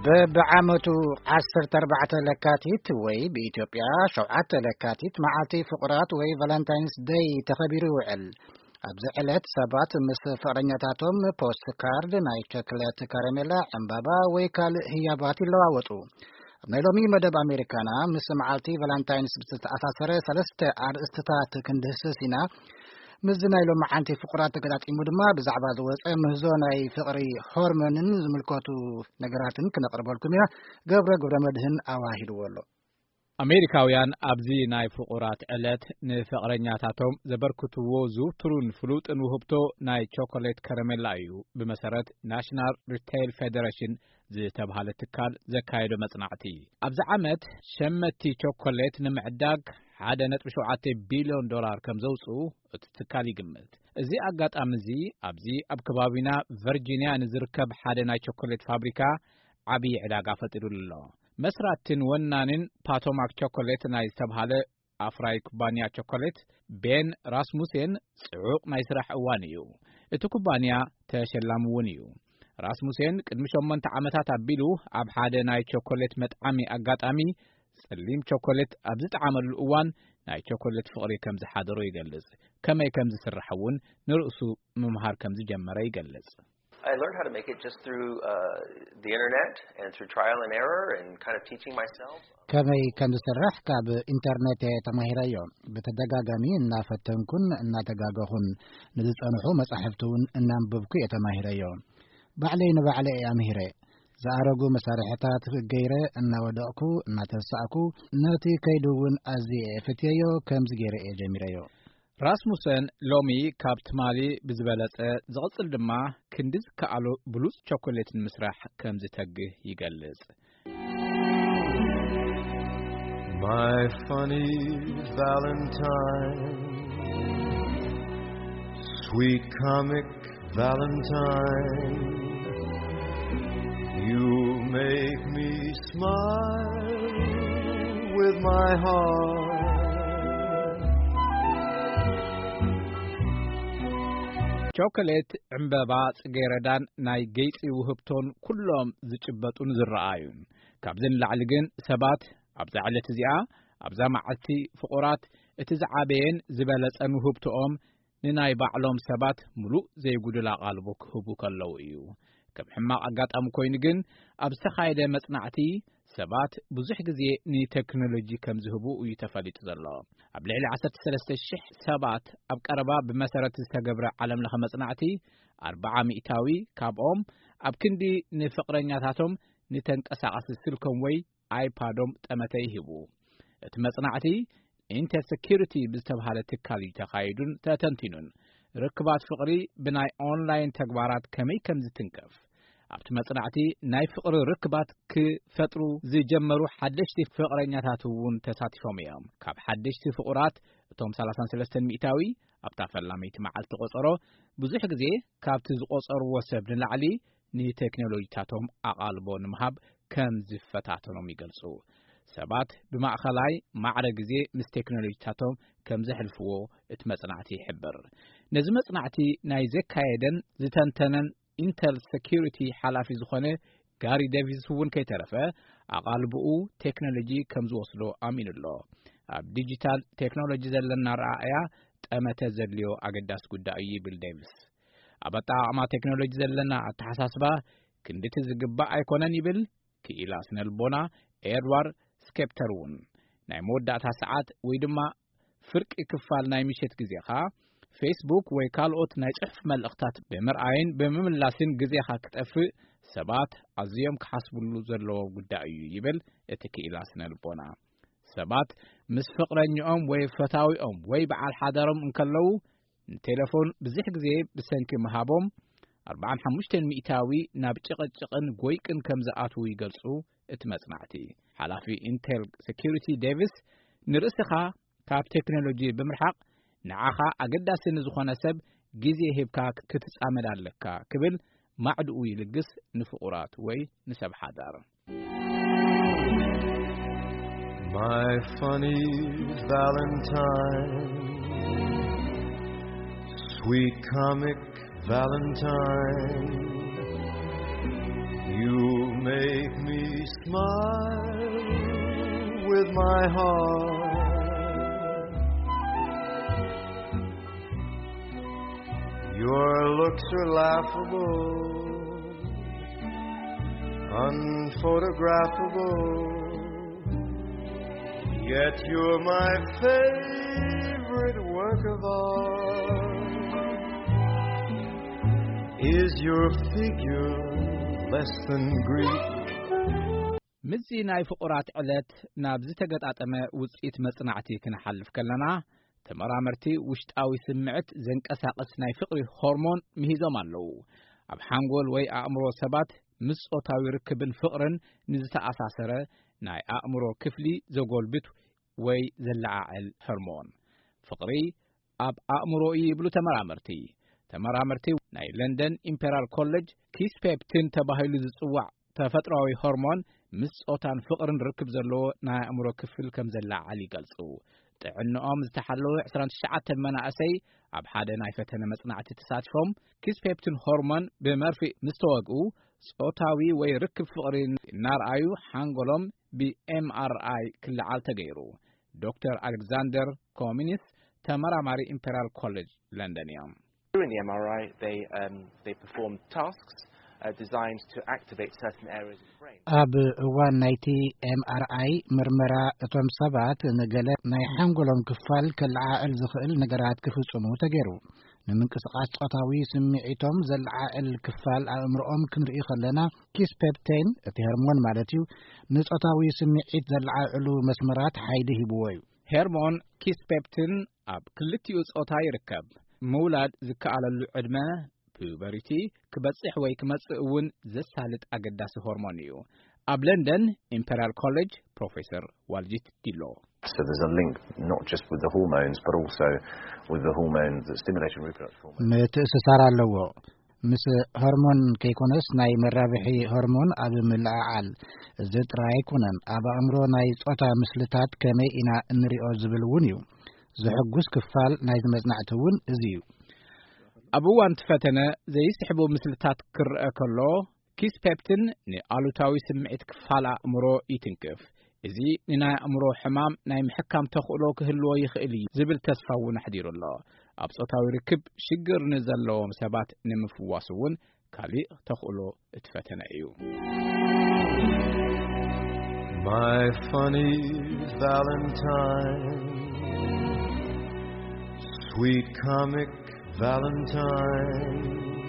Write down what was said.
በብዓመቱ ዓሰርተ ኣርባዕተ ለካቲት ወይ ብኢትዮጵያ ሸውዓተ ለካቲት መዓልቲ ፍቑራት ወይ ቫለንታይንስ ደይ ተኸቢሩ ይውዕል። ኣብዚ ዕለት ሰባት ምስ ፍቕረኛታቶም ፖስት ካርድ፣ ናይ ቸክለት ከረሜላ፣ ዕምባባ ወይ ካልእ ህያባት ይለዋወጡ። ኣብ ናይ ሎሚ መደብ ኣሜሪካና ምስ መዓልቲ ቫለንታይንስ ብዝተኣሳሰረ ሰለስተ ኣርእስትታት ክንድህስስ ኢና። ምስዚ ናይ ሎሚ ዓንቲ ፍቑራት ተገጣጢሙ ድማ ብዛዕባ ዝወፀ ምህዞ ናይ ፍቕሪ ሆርሞንን ዝምልከቱ ነገራትን ክነቕርበልኩም ኢና። ገብረ ገብረ መድህን ኣዋሂድዎ ኣሎ። ኣሜሪካውያን ኣብዚ ናይ ፍቑራት ዕለት ንፍቕረኛታቶም ዘበርክትዎ ዝውቱሩን ፍሉጥን ውህብቶ ናይ ቸኮሌት ከረሜላ እዩ። ብመሰረት ናሽናል ሪቴይል ፌደሬሽን ዝተብሃለ ትካል ዘካየዶ መጽናዕቲ፣ ኣብዚ ዓመት ሸመቲ ቸኮሌት ንምዕዳግ ሓደ ነጥቢ ሸውዓተ ቢልዮን ዶላር ከም ዘውጽኡ እቲ ትካል ይግምት። እዚ ኣጋጣሚ እዚ ኣብዚ ኣብ ከባቢና ቨርጂንያ ንዝርከብ ሓደ ናይ ቸኮሌት ፋብሪካ ዓብዪ ዕዳጋ ፈጢሩሉ ኣሎ። መስራትን ወናንን ፓቶማክ ቸኮሌት ናይ ዝተብሃለ ኣፍራይ ኩባንያ ቸኮሌት ቤን ራስሙሴን ጽዑቕ ናይ ስራሕ እዋን እዩ። እቲ ኩባንያ ተሸላሚ እውን እዩ። ራስሙሴን ቅድሚ ሸሞንተ ዓመታት ኣቢሉ ኣብ ሓደ ናይ ቸኮሌት መጥዓሚ ኣጋጣሚ ጸሊም ቸኮሌት ኣብ ዝጠዓመሉ እዋን ናይ ቸኮሌት ፍቕሪ ከም ዝሓደሮ ይገልጽ። ከመይ ከም ዝስራሕ እውን ንርእሱ ምምሃር ከም ዝጀመረ ይገልጽ። I learned how to make it just through uh, the internet and through trial and error and kind of teaching myself. ከመይ ከም ዝስራሕ ካብ ኢንተርኔት እየ ተማሂረዮ። ብተደጋጋሚ እናፈተንኩን እናተጋገኹን ንዝጸንሑ መጻሕፍቲ እውን እናንብብኩ እየ ተማሂረዮ። ባዕለይ ንባዕለይ እየ ኣምሂረ። ዝኣረጉ መሳርሕታት ገይረ እናወደቕኩ እናተንሳእኩ፣ ነቲ ከይዱ እውን ኣዝየ እየ ፈትየዮ። ከምዚ ገይረ እየ ጀሚረዮ። ራስሙሰን ሎሚ ካብ ትማሊ ብዝበለጸ፣ ዝቕጽል ድማ ክንዲ ዝከኣሎ ብሉጽ ቸኮሌት ንምስራሕ ከም ዝተግህ ይገልጽ። My funny Valentine, sweet comic Valentine, you make me smile with my heart. ቸኮሌት፣ ዕምበባ፣ ጽጌረዳን ናይ ገይጺ ውህብቶን ኩሎም ዝጭበጡን ዝረኣዩን። ካብዚ ንላዕሊ ግን ሰባት ኣብዛ ዕለት እዚኣ፣ ኣብዛ መዓልቲ ፍቑራት፣ እቲ ዝዓበየን ዝበለጸን ውህብቶኦም ንናይ ባዕሎም ሰባት ምሉእ ዘይጉድል ኣቓልቦ ክህቡ ከለዉ እዩ። ከም ሕማቕ ኣጋጣሚ ኮይኑ ግን፣ ኣብ ዝተኻየደ መጽናዕቲ ሰባት ብዙሕ ግዜ ንቴክኖሎጂ ከም ዝህቡ እዩ ተፈሊጡ ዘሎ። ኣብ ልዕሊ ዓሰርተ ሰለስተ ሽሕ ሰባት ኣብ ቀረባ ብመሰረት ዝተገብረ ዓለምለኸ መጽናዕቲ፣ ኣርብዓ ሚእታዊ ካብኦም ኣብ ክንዲ ንፍቕረኛታቶም ንተንቀሳቓሲ ስልኮም ወይ ኣይፓዶም ጠመተ ይህቡ። እቲ መጽናዕቲ ኢንተል ሴኩሪቲ ብዝተባሃለ ትካል እዩ ተኻይዱን ተተንቲኑን። ርክባት ፍቕሪ ብናይ ኦንላይን ተግባራት ከመይ ከም ዝትንከፍ ኣብቲ መጽናዕቲ፣ ናይ ፍቕሪ ርክባት ክፈጥሩ ዝጀመሩ ሓደሽቲ ፍቕረኛታት እውን ተሳቲፎም እዮም። ካብ ሓደሽቲ ፍቑራት እቶም ሰላሳን ሰለስተን ሚእታዊ ኣብታ ፈላመይቲ መዓልቲ ቆጸሮ ብዙሕ ግዜ ካብቲ ዝቆጸርዎ ሰብ ንላዕሊ ንቴክኖሎጂታቶም ኣቓልቦ ንምሃብ ከም ዝፈታተኖም ይገልጹ። ሰባት ብማእኸላይ ማዕረ ግዜ ምስ ቴክኖሎጂታቶም ከም ዘሕልፍዎ እቲ መጽናዕቲ ይሕብር። ነዚ መጽናዕቲ ናይ ዘካየደን ዝተንተነን ኢንተል ሴኩሪቲ ሓላፊ ዝኾነ ጋሪ ዴቪስ እውን ከይተረፈ፣ ኣቓልቦኡ ቴክኖሎጂ ከም ዝወስዶ ኣሚኑ ኣሎ። ኣብ ዲጂታል ቴክኖሎጂ ዘለና ረኣእያ ጠመተ ዘድልዮ ኣገዳሲ ጉዳይ እዩ ይብል ዴቪስ። ኣብ ኣጠቓቕማ ቴክኖሎጂ ዘለና ኣተሓሳስባ ክንድቲ ዝግባእ ኣይኮነን ይብል ክኢላ ስነልቦና ኤድዋርድ ስኬፕተር እውን። ናይ መወዳእታ ሰዓት ወይ ድማ ፍርቂ ክፋል ናይ ምሸት ግዜኻ ፌስቡክ ወይ ካልኦት ናይ ጽሑፍ መልእኽታት ብምርኣይን ብምምላስን ግዜኻ ክጠፍእ ሰባት ኣዝዮም ክሓስብሉ ዘለዎ ጉዳይ እዩ ይብል እቲ ክኢላ ስነልቦና። ሰባት ምስ ፍቕረኛኦም ወይ ፈታዊኦም ወይ በዓል ሓዳሮም እንከለዉ ንቴሌፎን ብዙሕ ግዜ ብሰንኪ ምሃቦም ኣርብዓን ሓሙሽተን ሚእታዊ ናብ ጭቕጭቕን ጎይቅን ከም ዝኣትዉ ይገልጹ እቲ መጽናዕቲ። ሓላፊ ኢንቴል ሴኩሪቲ ዴቪስ ንርእስኻ ካብ ቴክኖሎጂ ብምርሓቕ ንዓኻ ኣገዳሲ ንዝኾነ ሰብ ግዜ ሂብካ ክትጻመድ ኣለካ ክብል ማዕድኡ ይልግስ ንፍቑራት ወይ ንሰብ ሓዳር። My funny Valentine, sweet comic Valentine, you Make me smile with my heart. Your looks are laughable, unphotographable. Yet you're my favorite work of art. Is your figure less than Greek? ምስዚ ናይ ፍቑራት ዕለት ናብ ዝተገጣጠመ ውጽኢት መጽናዕቲ ክንሓልፍ ከለና፣ ተመራመርቲ ውሽጣዊ ስምዕት ዘንቀሳቕስ ናይ ፍቕሪ ሆርሞን ምሂዞም ኣለዉ። ኣብ ሓንጎል ወይ ኣእምሮ ሰባት ምስ ጾታዊ ርክብን ፍቕርን ንዝተኣሳሰረ ናይ ኣእምሮ ክፍሊ ዘጎልብት ወይ ዘለዓዕል ሆርሞን ፍቕሪ ኣብ ኣእምሮ እዩ ይብሉ ተመራመርቲ። ተመራመርቲ ናይ ለንደን ኢምፔሪያል ኮሌጅ ኪስፔፕቲን ተባሂሉ ዝጽዋዕ ተፈጥሮኣዊ ሆርሞን ምስ ጾታን ፍቕርን ርክብ ዘለዎ ናይ ኣእምሮ ክፍል ከም ዘለዓዕል ይገልጹ። ጥዕንኦም ዝተሓለወ ዕስራን ትሽዓተን መናእሰይ ኣብ ሓደ ናይ ፈተነ መጽናዕቲ ተሳቲፎም ኪስፔፕቲን ሆርሞን ብመርፍእ ምስ ተወግኡ ጾታዊ ወይ ርክብ ፍቕሪ እናርኣዩ ሓንጎሎም ብኤምኣርኣይ ክለዓል ተገይሩ። ዶክተር ኣሌክዛንደር ኮሚኒስ ተመራማሪ ኢምፔሪያል ኮሌጅ ለንደን እዮም። During the M R I, they, um, they performed tasks uh, designed to activate certain areas of the brain. ኣብ እዋን ናይቲ ኤምኣርኣይ ምርመራ እቶም ሰባት ንገለ ናይ ሓንጎሎም ክፋል ከለዓዕል ዝኽእል ነገራት ክፍጽሙ ተገይሩ። ንምንቅስቓስ ጾታዊ ስምዒቶም ዘለዓዕል ክፋል ኣእምሮኦም ክንርኢ ከለና ኪስፔፕቴን እቲ ሆርሞን ማለት እዩ ንጾታዊ ስምዒት ዘለዓዕሉ መስመራት ሓይሊ ሂብዎ እዩ። ሄርሞን ኪስፔፕቲን ኣብ ክልቲኡ ጾታ ይርከብ። ምውላድ ዝከኣለሉ ዕድመ ፒዩበሪቲ ክበጽሕ ወይ ክመጽእ እውን ዘሳልጥ ኣገዳሲ ሆርሞን እዩ። ኣብ ለንደን ኢምፔሪያል ኮሌጅ ፕሮፌሰር ዋልጂት ዲሎ So there's a link not just with the hormones, but also with the hormone that's stimulating reproductive hormone. ምትእስሳር ኣለዎ። ምስ ሆርሞን ከይኮነስ ናይ መራብሒ ሆርሞን ኣብ ምልዕዓል እዚ ጥራይ ኣይኮነን። ኣብ ኣእምሮ ናይ ጾታ ምስልታት ከመይ ኢና እንሪኦ ዝብል እውን እዩ። ዘሐጉስ ክፋል ናይዚ መጽናዕቲ እውን እዚ እዩ። ኣብ እዋን እቲ ፈተነ ዘይስሕቡ ምስልታት ክረአ ከሎ ኪስፔፕቲን ንኣሉታዊ ስምዒት ክፋል ኣእምሮ ይትንክፍ። እዚ ንናይ ኣእምሮ ሕማም ናይ ምሕካም ተኽእሎ ክህልዎ ይኽእል እዩ ዝብል ተስፋ እውን ኣሕዲሩ ኣሎ። ኣብ ጾታዊ ርክብ ሽግር ንዘለዎም ሰባት ንምፍዋስ እውን ካሊእ ተኽእሎ እቲ ፈተነ እዩ። My funny Valentine, sweet comic Valentine.